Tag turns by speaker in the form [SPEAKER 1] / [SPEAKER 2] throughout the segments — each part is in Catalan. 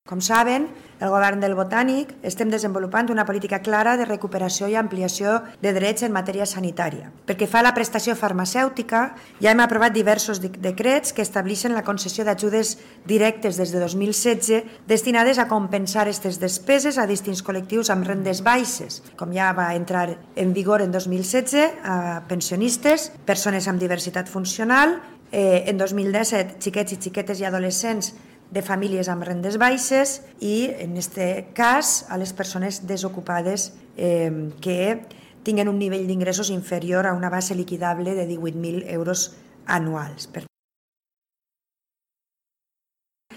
[SPEAKER 1] Com saben, el govern del Botànic estem desenvolupant una política clara de recuperació i ampliació de drets en matèria sanitària. Pel que fa a la prestació farmacèutica, ja hem aprovat diversos decrets que estableixen la concessió d'ajudes directes des de 2016 destinades a compensar aquestes despeses a distints col·lectius amb rendes baixes, com ja va entrar en vigor en 2016 a pensionistes, persones amb diversitat funcional, en 2017 xiquets i xiquetes i adolescents de famílies amb rendes baixes i, en aquest cas, a les persones desocupades que tinguen un nivell d'ingressos inferior a una base liquidable de 18.000 euros anuals.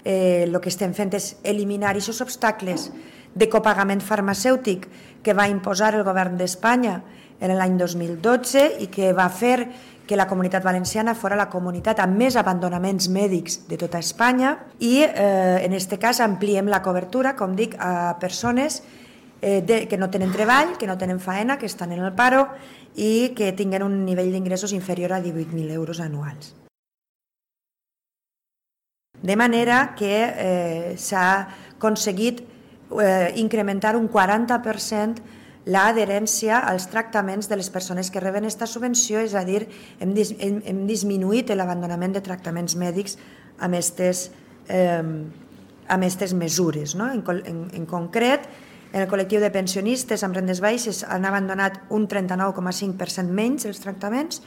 [SPEAKER 1] El que estem fent és eliminar aquests obstacles de copagament farmacèutic que va imposar el govern d'Espanya en l'any 2012 i que va fer que la Comunitat Valenciana fos la comunitat amb més abandonaments mèdics de tota Espanya i en aquest cas ampliem la cobertura, com dic, a persones que no tenen treball, que no tenen faena, que estan en el paro i que tinguen un nivell d'ingressos inferior a 18.000 euros anuals. De manera que s'ha aconseguit incrementar un 40% l'adherència als tractaments de les persones que reben aquesta subvenció, és a dir, hem disminuït l'abandonament de tractaments mèdics amb aquestes mesures. En concret, en el col·lectiu de pensionistes amb rendes baixes han abandonat un 39,5% menys els tractaments,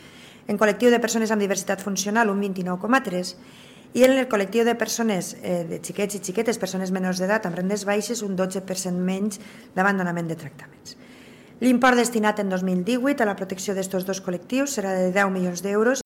[SPEAKER 1] en el col·lectiu de persones amb diversitat funcional un 29,3%, i en el col·lectiu de persones, de xiquets i xiquetes, persones menors d'edat amb rendes baixes, un 12% menys d'abandonament de tractaments. L'import destinat en 2018 a la protecció d'aquests dos col·lectius serà de 10 milions d'euros